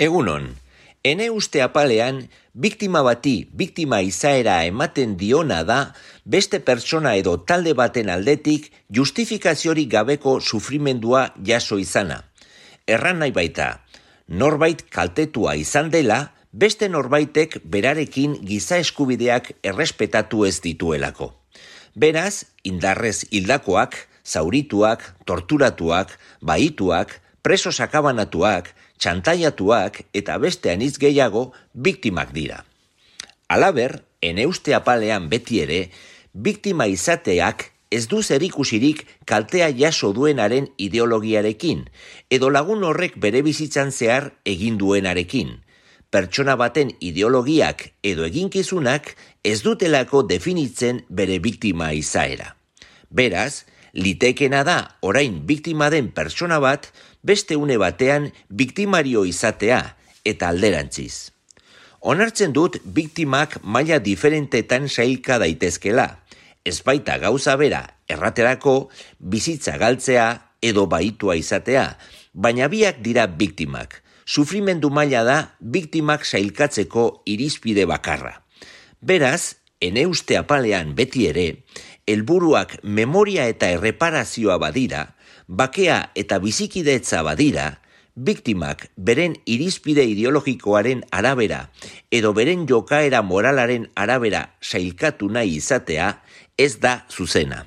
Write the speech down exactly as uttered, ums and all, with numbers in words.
Egunon, ene uste apalean, biktima bati biktima izaera ematen diona da beste pertsona edo talde baten aldetik justifikaziorik gabeko sufrimendua jaso izana. Erran nahi baita, norbait kaltetua izan dela, beste norbaitek berarekin giza eskubideak errespetatu ez dituelako. Beraz, indarrez hildakoak, zaurituak, torturatuak, bahituak, preso sakabanatuak, txantaiatuak eta beste anitz gehiago biktimak dira. Halaber, ene uste apalean beti ere, biktima izateak ez du zerikusirik kaltea jaso duenaren ideologiarekin, edo lagun horrek bere bizitzan zehar egin duenarekin. Pertsona baten ideologiak edo eginkizunak ez dutelako definitzen bere biktima izaera. Beraz, litekena da orain biktima den pertsona bat beste une batean biktimario izatea eta alderantziz. Onartzen dut biktimak maila diferentetan sailka daitezkela, ez baita gauza bera erraterako bizitza galtzea edo bahitua izatea, baina biak dira biktimak. Sufrimendu maila da biktimak sailkatzeko irizpide bakarra. Beraz, ene uste apalean beti ere, helburuak memoria eta erreparazioa badira, bakea eta bizikidetza badira, biktimak beren irizpide ideologikoaren arabera edo beren jokaera moralaren arabera sailkatu nahi izatea ez da zuzena.